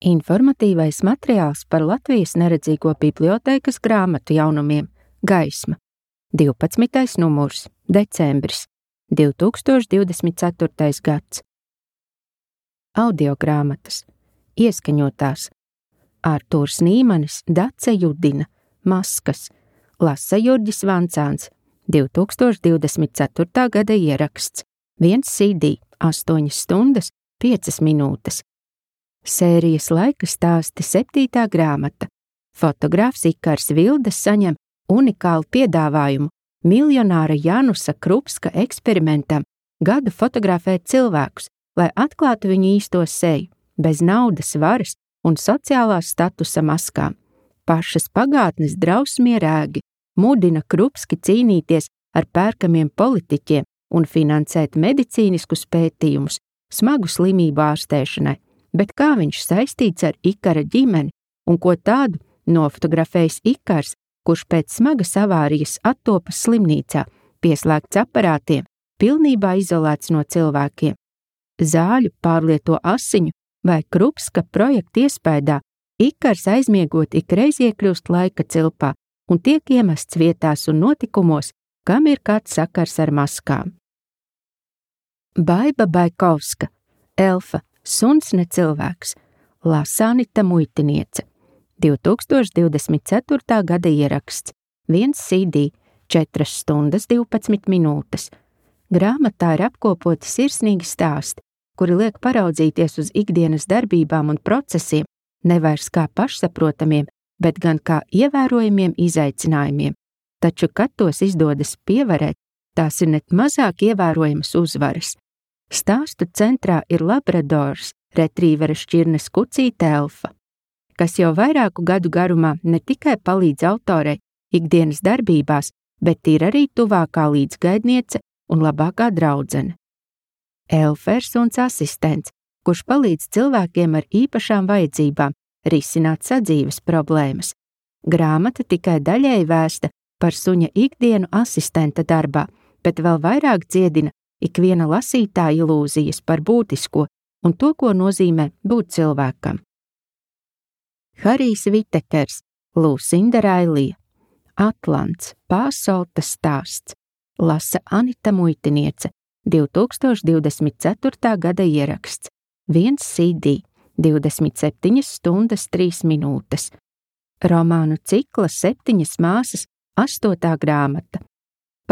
Informatīvais materiāls par Latvijas neredzīgo bibliotēkas grāmatu jaunumiem Gaisma, 12. numurs, decembris, 2024. gads. Audiogrāmatas, ieskaņotās, Artūrs Nīmanis, Dace Judina, Maskas, lasa Jurģis Vancāns, 2024. gada ieraksts, 1 CD, 8 stundas, 5 minūtes. Sērijas laika stāsti 7. grāmata. Fotogrāfs Ikars Vildes saņem unikālu piedāvājumu miljonāra Janusa Krupska eksperimentam gadu fotografēt cilvēkus, lai atklātu viņu īsto seju, bez naudas, varas un sociālās statusa maskām. Pašas pagātnes drausmie rēgi mudina Krupski cīnīties ar pērkamiem politiķiem un finansēt medicīniskus pētījumus smagu slimību ārstēšanai, bet kā viņš saistīts ar Ikara ģimeni un ko tādu nofotografējis Ikars, kurš pēc smagas avārijas attopas slimnīcā, pieslēgts aparātiem, pilnībā izolēts no cilvēkiem. Zāļu, pārlieto asiņu vai Krupska projekta iespējā Ikars aizmiegot ikreiz iekļūst laika cilpā un tiek iemests vietās un notikumos, kam ir kāds sakars ar maskām. Baiba Baikovska, Elfa, suns ne cilvēks, lasa Anita Muitiniece, 2024. gada ieraksts, 1 CD, 4 stundas, 12 minūtes. Grāmatā ir apkopoti sirsnīgi stāsti, kuri liek paraudzīties uz ikdienas darbībām un procesiem, nevairs kā pašsaprotamiem, bet gan kā ievērojamiem izaicinājumiem, taču, kad tos izdodas pievarēt, tās ir net mazāk ievērojamas uzvaras. Stāstu centrā ir labradors, retrīvera šķirnes kucīte Elfa, kas jau vairāku gadu garumā ne tikai palīdz autorei ikdienas darbībās, bet ir arī tuvākā līdzgaidniece un labākā draudzene. Elfa ir suns asistents, kurš palīdz cilvēkiem ar īpašām vajadzībām risināt sadzīves problēmas. Grāmata tikai daļēji vēsta par suņa ikdienu asistenta darbā, bet vēl vairāk dziedina ikviena lasītāja ilūzijas par būtisko un to, ko nozīmē būt cilvēkam. Harijs Vitekers, Lūsinda Railija, Atlants, Pāsolta stāsts, lasa Anita Muitiniece, 2024. gada ieraksts, 1 CD, 27 stundas, 3 minūtes. Romānu cikla 7 māsas, 8. grāmata.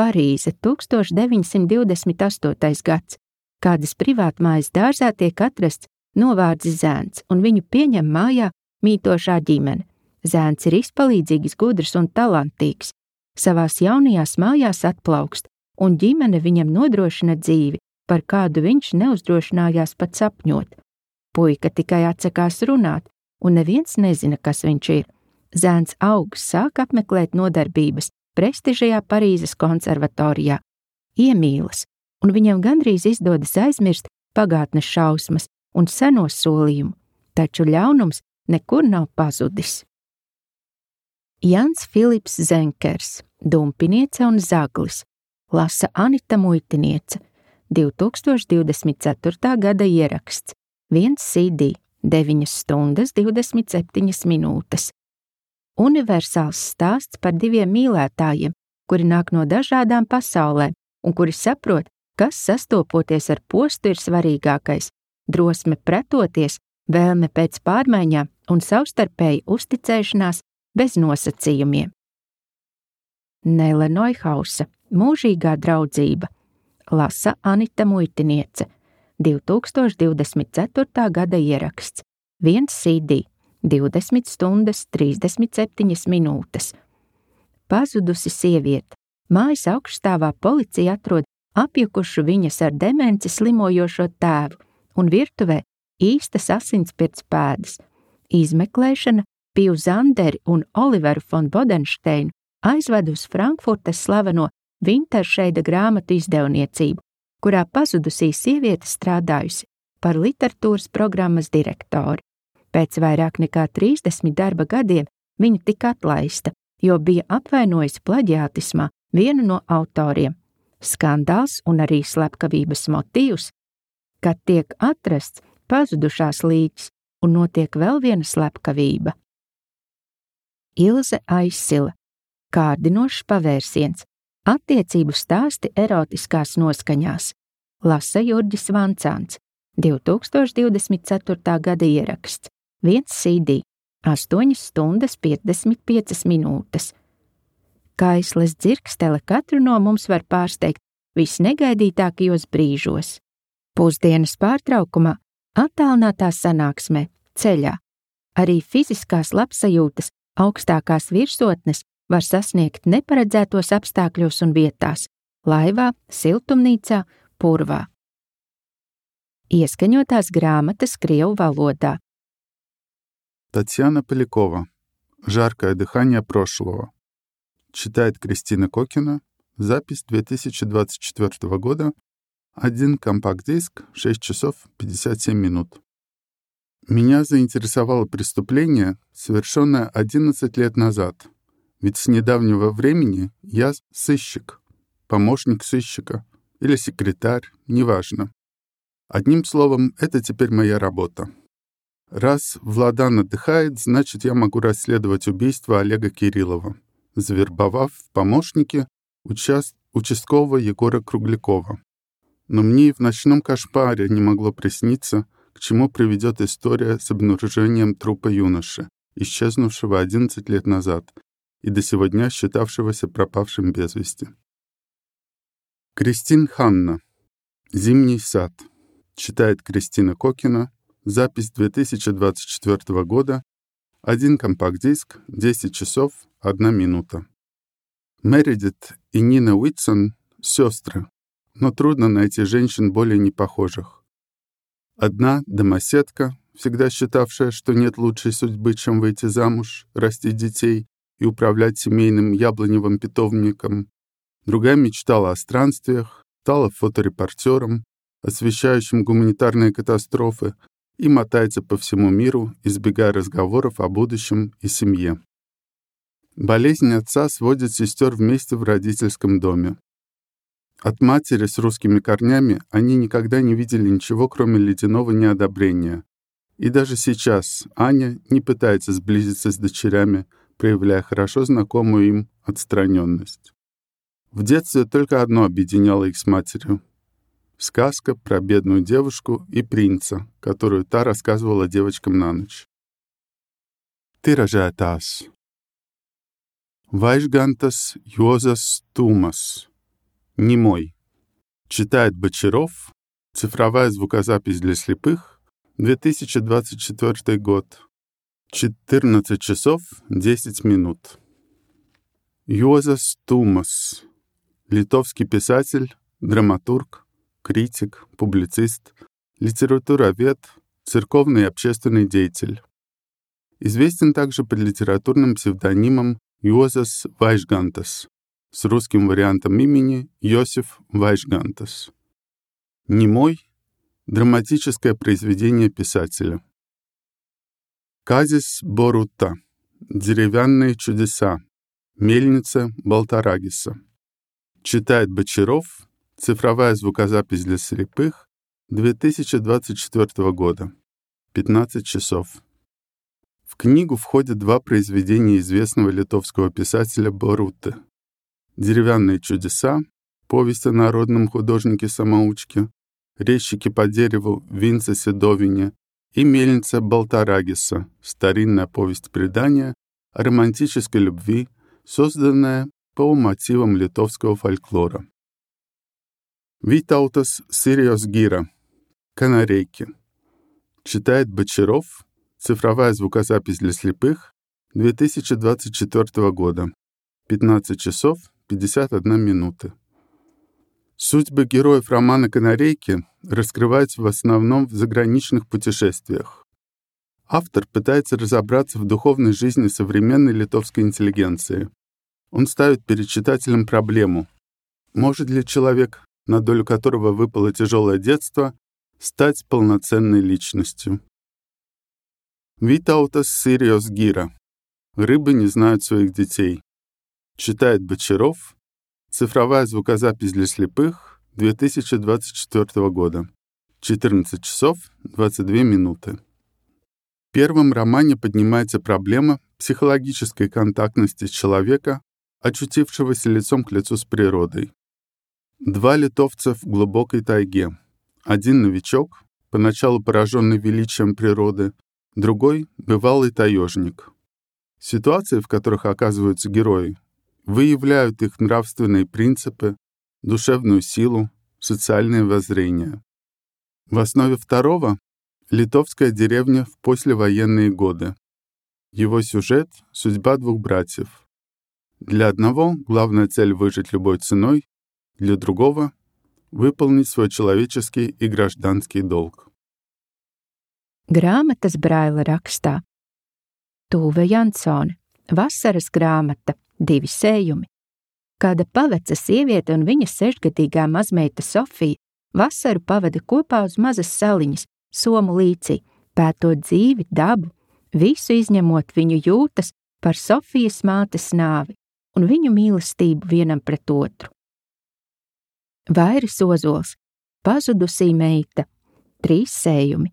Parīze, 1928. gads. Kādas privātmājas dārzā tiek atrasts novārdzis zēns, un viņu pieņem mājā mītošā ģimene. Zēns ir izpalīdzīgs, gudrs un talantīgs. Savās jaunajās mājās atplaukst, un ģimene viņam nodrošina dzīvi, par kādu viņš neuzdrošinājās pat sapņot. Puika tikai atsakās runāt, un neviens nezina, kas viņš ir. Zēns augs sāk apmeklēt nodarbības prestižajā Parīzes konservatorijā, iemīlas, un viņam gandrīz izdodas aizmirst pagātnes šausmas un senos solījumu, taču ļaunums nekur nav pazudis. Jans Filips Zenkers, Dumpiniece un zaglis, lasa Anita Muitiniece, 2024. gada ieraksts, 1 CD, 9 stundas, 27 minūtes. Universāls stāsts par 2 mīlētājiem, kuri nāk no dažādām pasaulēm un kuri saprot, kas sastopoties ar postu ir svarīgākais – drosme pretoties, vēlme pēc pārmaiņām un savstarpēji uzticēšanās bez nosacījumiem. Nele Neuhausa, Mūžīgā draudzība, lasa Anita Muitiniece, 2024. gada ieraksts, 1 CD, 20 stundas, 37 minūtes. Pazudusi sieviete. Mājas augšstāvā policija atrod apjukušu viņas ar demenci slimojošo tēvu un virtuvē īstas asinspirts pēdas. Izmeklēšana Piju Zanderi un Oliveru von Bodensteinu aizved uz Frankfurtes slaveno Vinteršeida grāmatu izdevniecību, kurā pazudusī sieviete strādājusi par literatūras programmas direktori. Pēc vairāk nekā 30 darba gadiem viņa tika atlaista, jo bija apvainojusi plaģiātismā vienu no autoriem. Skandāls un arī slepkavības motīvs, kad tiek atrasts pazudušās līķis, un notiek vēl viena slepkavība. Ilze Aizsila. Kārdinošs pavērsiens. Attiecību stāsti erotiskās noskaņās. Lasa Jurģis Vancāns. 2024. gada ieraksts. 1 CD. 8 stundas 55 minūtes. Kaisles dzirkstele katru no mums var pārsteigt visnegaidītākajos brīžos. Pusdienas pārtraukumā, attālinātā sanāksmē, ceļā. Arī fiziskās labsajūtas augstākās virsotnes var sasniegt neparedzētos apstākļos un vietās – laivā, siltumnīcā, purvā. Ieskaņotās grāmatas krievu valodā. Татьяна Полякова. «Жаркое дыхание прошлого». Читает Кристина Кокина. Запись 2024 года. 1 компакт-диск, 6 часов 57 минут. Меня заинтересовало преступление, совершенное 11 лет назад. Ведь с недавнего времени я сыщик, помощник сыщика или секретарь, неважно. Одним словом, это теперь моя работа. Раз Владан отдыхает, значит, я могу расследовать убийство Олега Кириллова, завербовав в помощники участкового Егора Круглякова. Но мне и в ночном кошмаре не могло присниться, к чему приведет история с обнаружением трупа юноши, исчезнувшего 11 лет назад и до сего дня считавшегося пропавшим без вести. Кристин Ханна. «Зимний сад». Читает Кристина Кокина. Запись 2024 года. 1 компакт-диск, 10 часов 1 минута. Мередит и Нина Уитсон — сестры, но трудно найти женщин более непохожих. Одна — домоседка, всегда считавшая, что нет лучшей судьбы, чем выйти замуж, растить детей и управлять семейным яблоневым питомником. Другая мечтала о странствиях, стала фоторепортером, освещающим гуманитарные катастрофы, и мотается по всему миру, избегая разговоров о будущем и семье. Болезнь отца сводит сестер вместе в родительском доме. От матери с русскими корнями они никогда не видели ничего, кроме ледяного неодобрения. И даже сейчас Аня не пытается сблизиться с дочерями, проявляя хорошо знакомую им отстраненность. В детстве только одно объединяло их с матерью — сказка про бедную девушку и принца, которую та рассказывала девочкам на ночь. Тиражētājs. Vaižgantas Juozas Tūmas. Немой. Читает Бочаров. Цифровая звукозапись для слепых. 2024 год. 14 часов 10 минут. Juozas Tūmas. Литовский писатель, драматург, критик, публицист, литературовед, церковный и общественный деятель. Известен также под литературным псевдонимом Juozas Vaižgantas с русским вариантом имени Йосиф Вайжгантас. Немой — драматическое произведение писателя. Казис Борута. Деревянные чудеса. Мельница Балтарагиса. Читает Бочаров. Цифровая звукозапись для слепых. 2024 года. 15 часов. В книгу входят 2 произведения известного литовского писателя Боруты. «Деревянные чудеса», повесть о народном художнике-самоучке, «Резчики по дереву» Винца Седовине и «Мельница Балтарагиса», старинная повесть-предание о романтической любви, созданная по мотивам литовского фольклора. Витаутас Сириос Гира. «Канарейки». Читает Бочаров. Цифровая звукозапись для слепых. 2024 года. 15 часов 51 минута. Судьбы героев романа «Канарейки» раскрываются в основном в заграничных путешествиях. Автор пытается разобраться в духовной жизни современной литовской интеллигенции. Он ставит перед читателем проблему: может ли человек, на долю которого выпало тяжелое детство, стать полноценной личностью? Витаутас Сириос Гира. «Рыбы не знают своих детей». Читает Бочаров. Цифровая звукозапись для слепых. 2024 года. 14 часов 22 минуты. В первом романе поднимается проблема психологической контактности человека, очутившегося лицом к лицу с природой. Два литовца в глубокой тайге. Один новичок, поначалу пораженный величием природы, другой — бывалый таежник. Ситуации, в которых оказываются герои, выявляют их нравственные принципы, душевную силу, социальное воззрение. В основе второго — литовская деревня в послевоенные годы. Его сюжет — судьба двух братьев. Для одного главная цель — выжить любой ценой, для другого — выполнить свой человеческий и гражданский долг. Grāmatas Braila rakstā Tūve Jansone, vasaras grāmata, 2 sējumi. Kāda paveca sieviete un viņas 6-gadīgā mazmeita Sofija vasaru pavada kopā uz mazas saliņas, Somu līcī, pētot dzīvi, dabu, visu izņemot viņu jūtas par Sofijas mātes nāvi un viņu mīlestību vienam pret otru. Vairis Ozols, pazudusī meita, 3 sējumi.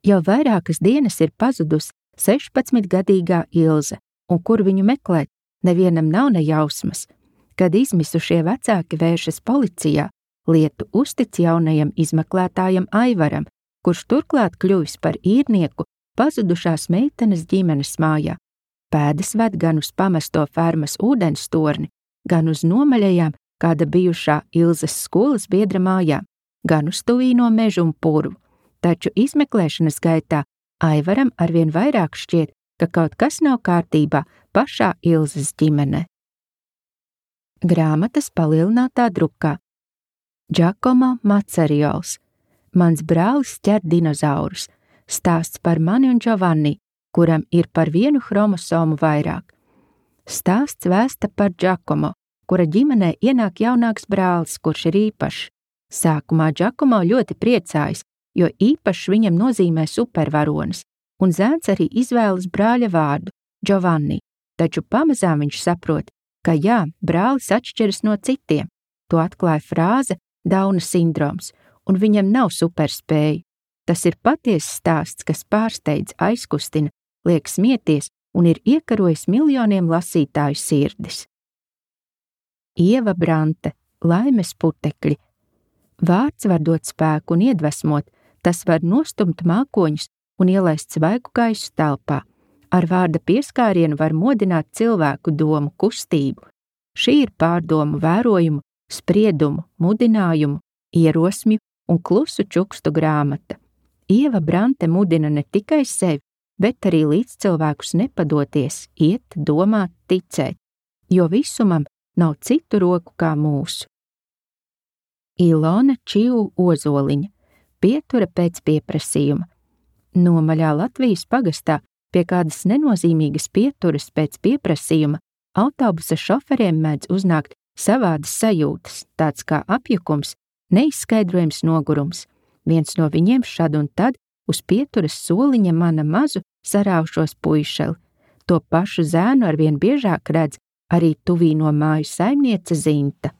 Jau vairākas dienas ir pazudusi 16-gadīgā Ilze, un kur viņu meklēt, nevienam nav ne jausmas. Kad izmisušie vecāki vēršas policijā, lietu uztic jaunajam izmeklētājam Aivaram, kurš turklāt kļuvis par īrnieku pazudušās meitenes ģimenes mājā. Pēdas ved gan uz pamesto fermas ūdens torni, gan uz nomaļajām kāda bijušā Ilzes skolas biedra mājām, gan uz tuvīno mežu un purvu. Taču izmeklēšanas gaitā Aivaram arvien vairāk šķiet, ka kaut kas nav kārtībā pašā Ilzes ģimenē. Grāmatas palielinātā drukā. Giacomo Mazariols. Mans brālis ķer dinozaurus. Stāsts par mani un Giovanni, kuram ir par 1 chromosomu vairāk. Stāsts vēsta par Giacomo, kura ģimenē ienāk jaunāks brālis, kurš ir īpašs. Sākumā Giacomo ļoti priecājas, jo īpašs viņam nozīmē supervaronis, un zēns arī izvēlas brāļa vārdu – Giovanni, taču pamazām viņš saprot, ka jā, brālis atšķiras no citiem. To atklāja frāze Dauna sindroms, un viņam nav superspēju. Tas ir patiesas stāsts, kas pārsteidz, aizkustina, liek smieties un ir iekarojis miljoniem lasītāju sirdis. Ieva Brante, Laimes putekļi. Vārds var dot spēku un iedvesmot, tas var nostumt mākoņus un ielaist svaigu gaisu telpā. Ar vārda pieskārienu var modināt cilvēku domu kustību. Šī ir pārdomu vērojumu, spriedumu, mudinājumu, ierosmju un klusu čukstu grāmata. Ieva Brante mudina ne tikai sevi, bet arī līdzcilvēkus nepadoties, iet, domāt, ticēt, jo visumam nav citu roku kā mūsu. Ilona Čiu Ozoliņa, pietura pēc pieprasījuma. Nomaļā Latvijas pagastā pie kādas nenozīmīgas pieturas pēc pieprasījuma autobusa šoferiem mēdz uznākt savādas sajūtas, tāds kā apjukums, neizskaidrojams nogurums. Viens no viņiem šad un tad uz pieturas soliņa mana mazu saraušos puišeli. To pašu zēnu arvien biežāk redz arī tuvīno māju saimniece Zinta.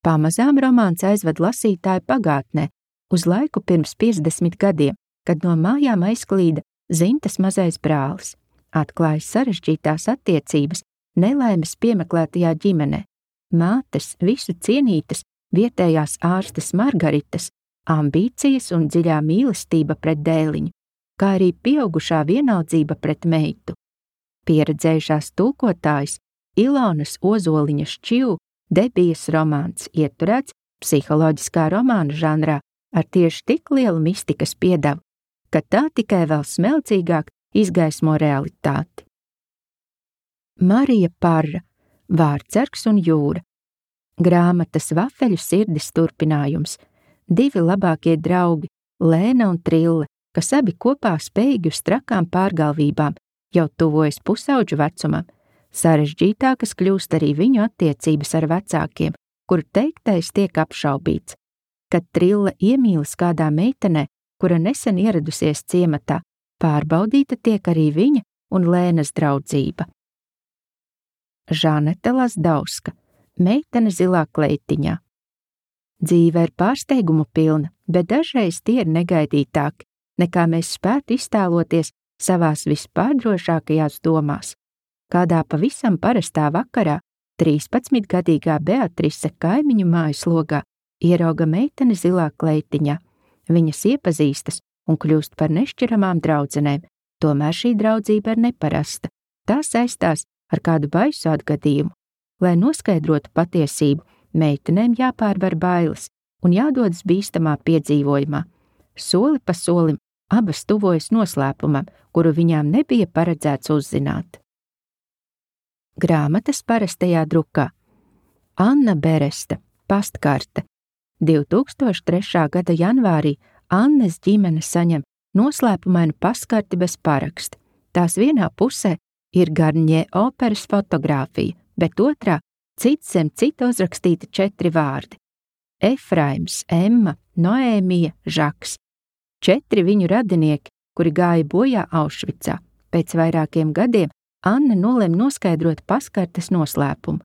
Pamazām romāns aizved lasītāju pagātnē, uz laiku pirms 50 gadiem, kad no mājām aizklīda Zintas mazais brālis. Atklājas sarežģītās attiecības nelaimes piemeklētajā ģimenē. Mātes, visu cienītas, vietējās ārstes Margaritas, ambīcijas un dziļā mīlestība pret dēliņu, kā arī pieaugušā vienaldzība pret meitu. Pieredzējušās tulkotājas Ilonas Ozoliņas Čiu debijas romāns ieturēts psiholoģiskā romāna žanrā ar tieši tik lielu mistikas piedevu, ka tā tikai vēl smelcīgāk izgaismo realitāti. Marija Parra, Vārtsargs un jūra. Grāmatas Vafeļu sirdis turpinājums. 2 labākie draugi, Lēna un Trille, kas abi kopā spējīgi uz trakām pārgalvībām, jau tuvojas pusauģu vecumam. Sarežģītākas kļūst arī viņu attiecības ar vecākiem, kuru teiktais tiek apšaubīts. Kad Trille iemīlas kādā meitenē, kura nesen ieradusies ciematā, pārbaudīta tiek arī viņa un Lēnas draudzība. Žanete Lazdauska, meitene zilā kleitiņā. Dzīve ir pārsteigumu pilna, bet dažreiz tie ir negaidītāki, nekā mēs spētu iztēloties savās vispārdrošākajās domās. Kādā pavisam parastā vakarā 13-gadīgā Beatrise kaimiņu mājas logā ierauga meiteni zilā kleitiņā. Viņas iepazīstas un kļūst par nešķiramām draudzenēm, tomēr šī draudzība ir neparasta. Tā saistās ar kādu baisu atgadījumu. Lai noskaidrotu patiesību, meitenēm jāpārvar bailes un jādodas bīstamā piedzīvojumā. Soli pa solim abas tuvojas noslēpumam, kuru viņām nebija paredzēts uzzināt. Grāmatas parastajā drukā. Anna Beresta, pastkarte. 2003. gada janvārī Annes ģimene saņem noslēpumainu pastkarti bez paraksta. Tās vienā pusē ir Garņē operas fotogrāfija, bet otrā cits zem cita uzrakstīti 4 vārdi. Efraims, Emma, Noēmija, Žaks. 4 viņu radinieki, kuri gāja bojā Aušvicā. Pēc vairākiem gadiem Anna nolem noskaidrot pastkartes noslēpumu.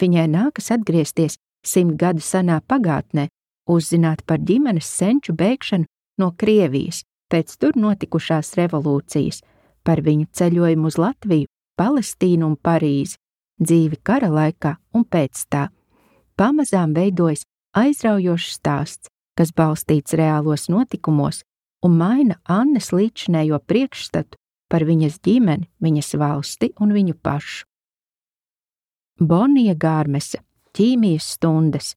Viņai nākas atgriezties 100 gadu senā pagātnē, uzzināt par ģimenes senču bēgšanu no Krievijas pēc tur notikušās revolūcijas, par viņu ceļojumu uz Latviju, Palestīnu un Parīzi, dzīvi kara laikā un pēc tā. Pamazām veidojas aizraujošs stāsts, kas balstīts reālos notikumos un maina Annes līdzinējo priekšstatu par viņas ģimeni, viņas valsti un viņu pašu. Bonija Gārmese, ķīmijas stundas.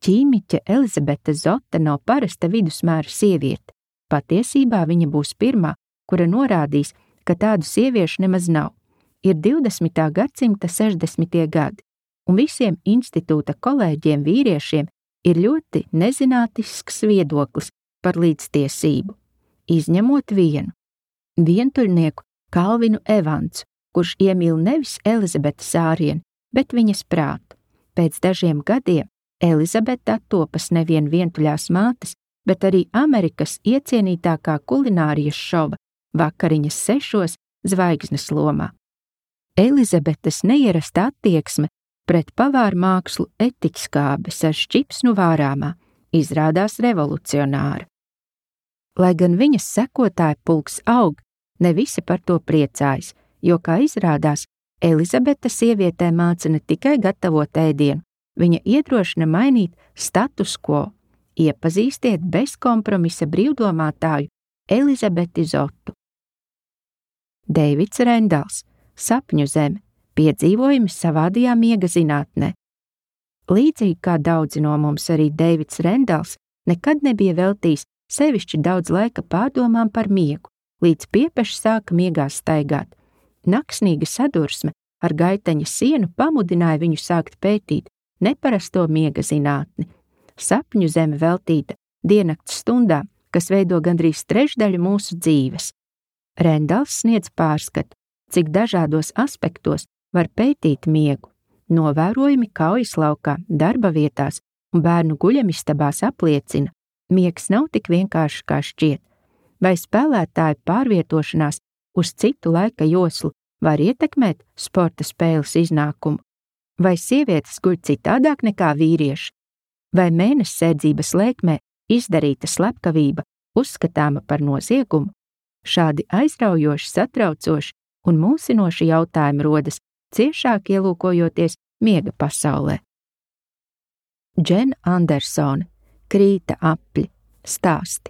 Ķīmiķe Elizabete Zota nav parasta vidusmēra sieviete. Patiesībā viņa būs pirmā, kura norādīs, ka tādu sieviešu nemaz nav. Ir 20. gadsimta 60. gadi, un visiem institūta kolēģiem vīriešiem ir ļoti nezinātnisks viedoklis par līdztiesību, izņemot vienu – vientuļnieku Kalvinu Evansu, kurš iemīl nevis Elizabeti Sārienu, bet viņas prātu. Pēc dažiem gadiem Elizabete attopas nevien vientuļās mātes, bet arī Amerikas iecienītākā kulinārijas šova Vakariņas 6 zvaigznes lomā. Elizabetes neierasta attieksme pret pavāru mākslu etiķskābes ar šķipsnu vārāmā izrādās revolucionāra. Lai gan viņas sekotāju pulks aug, ne visi par to priecājas, jo, kā izrādās, Elizabete sievietē māca ne tikai gatavot ēdienu, viņa iedrošina mainīt status quo. Iepazīstiet bezkompromisa brīvdomātāju Elizabeti Zotu. Deivids Rendals, Sapņu zeme, piedzīvojumi savādajā miega zinātnē. Līdzīgi kā daudzi no mums, arī Deivids Rendals nekad nebija veltījis sevišķi daudz laika pārdomām par miegu, līdz piepeši sāka miegā staigāt. Naksnīga sadursme ar gaiteņa sienu pamudināja viņu sākt pētīt neparasto miega zinātni. Sapņu zeme veltīta diennakts stundām, kas veido gandrīz trešdaļu mūsu dzīves. Rendals sniedz pārskatu, cik dažādos aspektos var pētīt miegu. Novērojumi kaujas laukā, darba vietās un bērnu guļamistabās apliecina, miegs nav tik vienkārši kā šķiet. Vai spēlētāju pārvietošanās uz citu laika joslu var ietekmēt sporta spēles iznākumu? Vai sievietes guļ citādāk nekā vīrieši? Vai mēnessēdzības lēkmē izdarīta slepkavība uzskatāma par noziegumu? Šādi aizraujoši, satraucoši un mulsinoši jautājumi rodas, ciešāk ielūkojoties miega pasaulē. Džena Andersone, Krīta apļi, stāsti.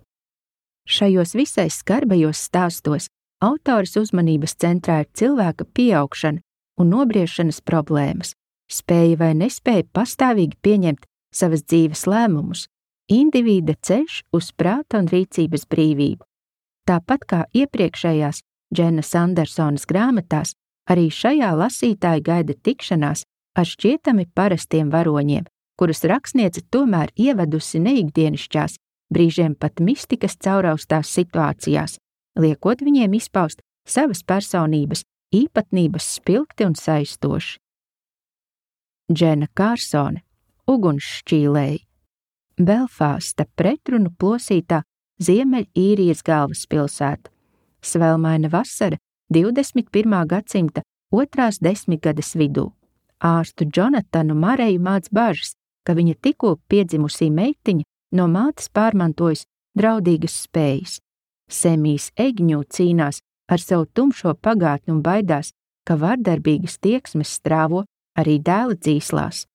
Šajos visai skarbajos stāstos autores uzmanības centrā ir cilvēka pieaugšana un nobriešanas problēmas, spēja vai nespēja pastāvīgi pieņemt savas dzīves lēmumus, individa ceļš uz prāta un rīcības brīvību. Tāpat kā iepriekšējās Dženas Andersonas grāmatās, arī šajā lasītāja gaida tikšanās ar šķietami parastiem varoņiem, kurus rakstniece tomēr ievedusi neikdienišķās, brīžiem pat mistikas cauraustās situācijās, liekot viņiem izpaust savas personības īpatnības spilgti un saistoši. Džena Kārsone, Ugunsšķīlēji, Belfāsta pretrunu plosītā Ziemeļīrijas galvaspilsēta, svelmaina vasara 21. gadsimta 2. desmitgades vidū. Ārstu Jonatanu Mareju māc bažas, ka viņa tikko piedzimusī meitiņa no mātes pārmantojas draudīgas spējas. Semijs Egņū cīnās ar savu tumšo pagātni un baidās, ka vardarbīgas tieksmes strāvo arī dēla dzīslās.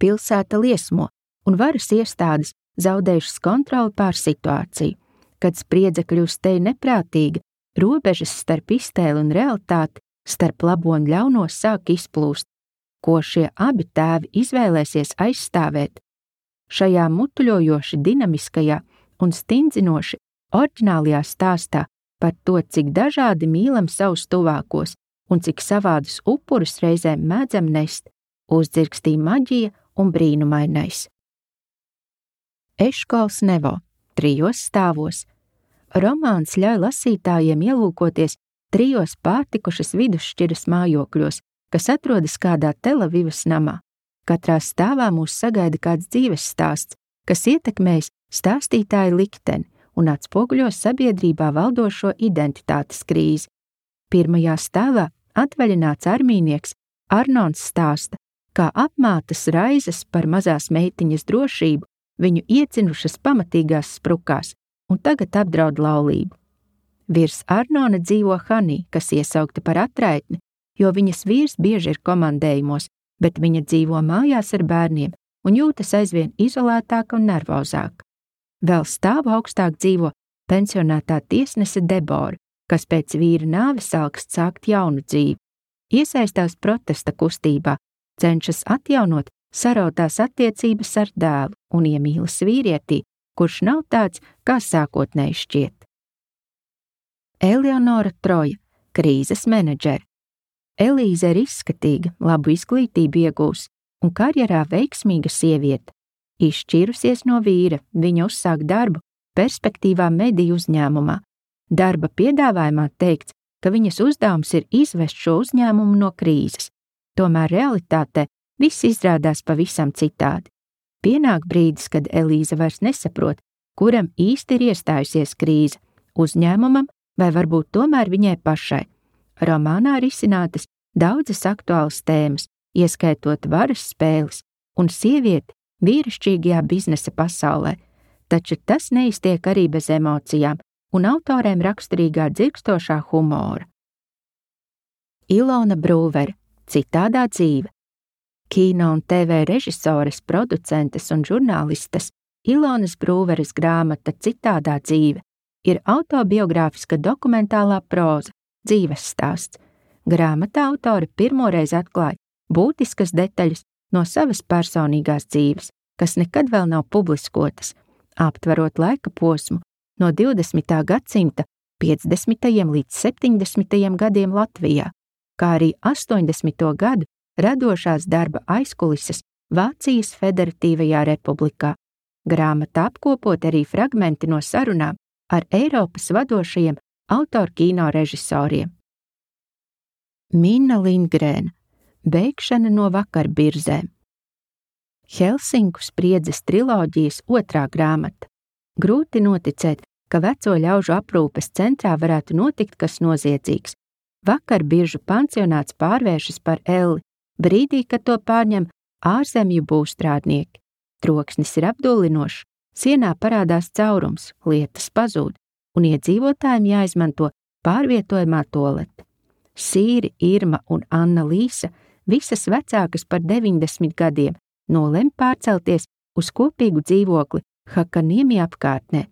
Pilsēta liesmo, un varas iestādes zaudējušas kontroli pār situāciju. Kad spriedze kļūst te neprātīga, robežas starp iztēli un realitāti, starp labo un ļauno sāk izplūst, ko šie abi tēvi izvēlēsies aizstāvēt. Šajā mutuļojoši dinamiskajā un stindzinoši oriģinālajā stāstā par to, cik dažādi mīlam savus tuvākos un cik savādus upurus reizēm mēdzam nest, uzdzirkstīja maģija un brīnumainais. Eškols Nevo, 3 stāvos. Romāns ļauj lasītājiem ielūkoties 3 pārtikušas vidusšķiras mājokļos, kas atrodas kādā Telavivas namā. Katrā stāvā mūs sagaida kāds dzīves stāsts, kas ietekmējis stāstītāja likteni un atspoguļos sabiedrībā valdošo identitātes krīzi. 1. stāvā atvaļināts armijnieks Arnons stāsta, kā apmātas raizes par mazās meitiņas drošību viņu iecinušas pamatīgās sprukās un tagad apdraud laulību. Virs Arnona dzīvo Hanī, kas iesaukta par atraitni, jo viņas vīrs bieži ir komandējumos, bet viņa dzīvo mājās ar bērniem un jūtas aizvien izolētāka un nervozāka. Vēl stāvu augstāk dzīvo pensionētā tiesnese Debora, kas pēc vīra nāves alkst sākt jaunu dzīvi. Iesaistās protesta kustībā, cenšas atjaunot sarautās attiecības ar dēlu un iemīlas vīrietī, kurš nav tāds, kā sākotnēji šķiet. Eleonora Troja, krīzes menedžere. Elīze ir izskatīga, labu izglītību iegūs un karjerā veiksmīga sieviete. Izšķīrusies no vīra, viņa uzsāk darbu perspektīvā mediju uzņēmumā. Darba piedāvājumā teikts, ka viņas uzdevums ir izvest šo uzņēmumu no krīzes. Tomēr realitātē viss izrādās pavisam citādi. Pienāk brīdis, kad Elīze vairs nesaprot, kuram īsti ir iestājusies krīze – uzņēmumam vai varbūt tomēr viņai pašai. Romānā risinātas daudzas aktuālas tēmas, ieskaitot varas spēles un sievieti vīrišķīgajā biznesa pasaulē, taču tas neiztiek arī bez emocijām un autorēm raksturīgā dzirkstošā humora. Ilona Brūvere, citādā dzīve. Kino un TV režisores, producentes un žurnālistes Ilonas Brūveres grāmata Citādā dzīve ir autobiogrāfiska dokumentālā próza, dzīves stāsts. Grāmatā autori pirmoreiz atklāja būtiskas detaļas no savas personīgās dzīves, kas nekad vēl nav publiskotas, aptverot laika posmu no 20. gadsimta 50. līdz 70. gadiem Latvijā, kā arī 80. gadu radošās darba aizkulises Vācijas Federatīvajā republikā. Grāmatā apkopot arī fragmenti no sarunām ar Eiropas vadošajiem autorkino režisoriem. Minna Lindgrēna, beigšana no vakarbirzēm. Helsinku spriedzes triloģijas 2. grāmata. Grūti noticēt, ka veco ļaužu aprūpes centrā varētu notikt kas noziedzīgs. Vakarbiržu pansionāts pārvēršas par elli, brīdī, kad to pārņem ārzemju būvstrādnieki. Troksnis ir apdullinošs, sienā parādās caurums, lietas pazūd, un iedzīvotājiem jāizmanto pārvietojamā tualete. Sīri, Irma un Anna Līsa, visas vecākas par 90 gadiem, nolem pārcelties uz kopīgu dzīvokli Hakaniemi apkārtnē.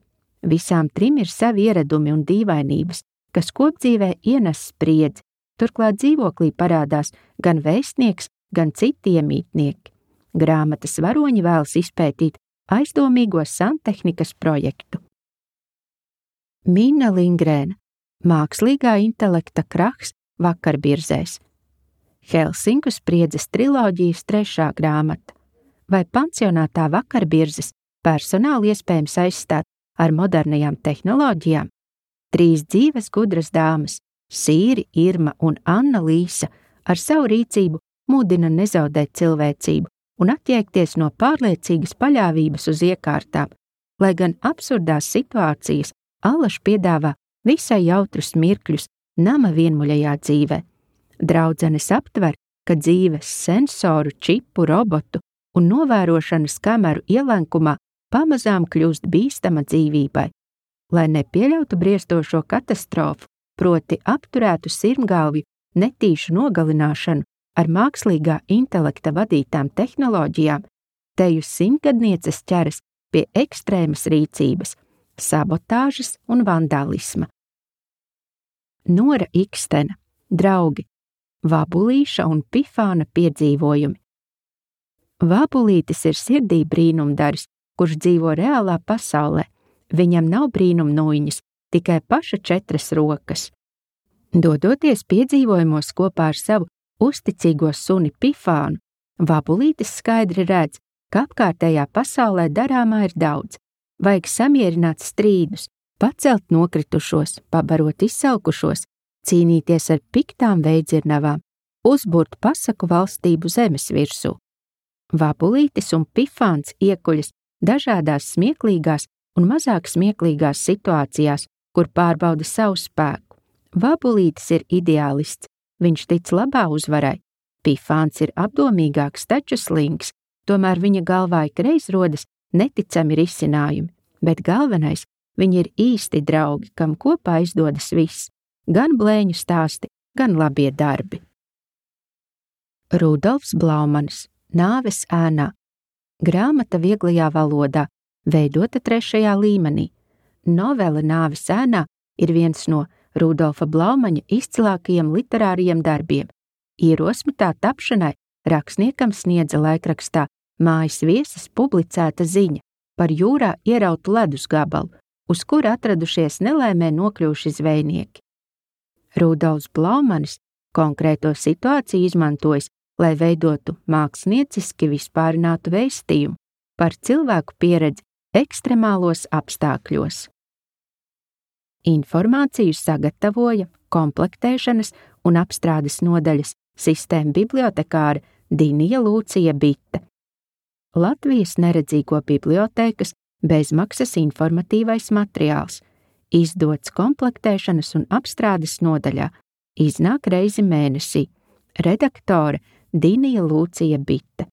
Visām 3 ir savi ieradumi un dīvainības, kas kopdzīvē ienes spriedzi. Turklāt dzīvoklī parādās gan vēstnieks, gan citi iemītnieki. Grāmatas varoņi vēlas izpētīt aizdomīgo santehnikas projektu. Minna Lindgrēna, mākslīgā intelekta krahs vakarbirzēs. Helsinku spriedzes triloģijas 3. grāmata. Vai pansionātā vakarbirzes personāli iespējams aizstāt ar modernajām tehnoloģijām? 3 dzīves gudras dāmas, Sīri, Irma un Anna Līsa, ar savu rīcību mudina nezaudēt cilvēcību un attiekties no pārliecīgas paļāvības uz iekārtām, lai gan absurdās situācijas allaž piedāvā visai jautrus mirkļus nama vienmuļajā dzīvē. Draudzenes aptver, ka dzīves sensoru, čipu, robotu un novērošanas kameru ielenkumā pamazām kļūst bīstama dzīvībai. Lai nepieļautu briestošo katastrofu, proti apturētu sirmgalvju netīšu nogalināšanu ar mākslīgā intelekta vadītām tehnoloģijām, teju simtgadnieces ķeras pie ekstrēmas rīcības, sabotāžas un vandālisma. Nora Ikstena, draugi, Vabulīša un Pifāna piedzīvojumi. Vabulītis ir sirdī brīnumdaris, kurš dzīvo reālā pasaulē. Viņam nav brīnumnūjiņas, tikai paša 4 rokas. Dodoties piedzīvojumos kopā ar savu uzticīgo suni Pifānu, Vabulītis skaidri redz, ka apkārtējā pasaulē darāmā ir daudz. Vajag samierināt strīdus, pacelt nokritušos, pabarot izsalkušos, cīnīties ar piktām veidzirnavām, uzburt pasaku valstību zemes virsū. Vabulītis un Pifāns iekuļas dažādās smieklīgās un mazāk smieklīgās situācijās, kur pārbauda savu spēku. Vabulītis ir ideālists, viņš tic labā uzvarai. Pifāns ir apdomīgāks, taču slings, tomēr viņa galvā ikreiz rodas neticami risinājumi, bet galvenais, viņi ir īsti draugi, kam kopā izdodas viss, gan blēņu stāsti, gan labie darbi. Rudolfs Blaumanis, Nāves ēnā. Grāmata vieglajā valodā, veidota 3. līmenī. Novele Nāves ēnā ir viens no Rudolfa Blaumaņa izcilākajiem literāriem darbiem. Ierosmi tā tapšanai rakstniekam sniedza laikrakstā Mājas viesis publicēta ziņa par jūrā ierautu ledus gabalu, uz kura atradušies nelaimē nokļuvuši zvejnieki. Rudolfs Blaumanis konkrēto situāciju izmantojis, lai veidotu mākslinieciski vispārinātu vēstījumu par cilvēku pieredzi ekstremālos apstākļos. Informāciju sagatavoja komplektēšanas un apstrādes nodaļas sistēma bibliotekāra Dinija Lūcija Bite. Latvijas neredzīgo bibliotēkas bezmaksas informatīvais materiāls, izdots komplektēšanas un apstrādes nodaļā, iznāk reizi mēnesī. Redaktore Dinija Lūcija Bite.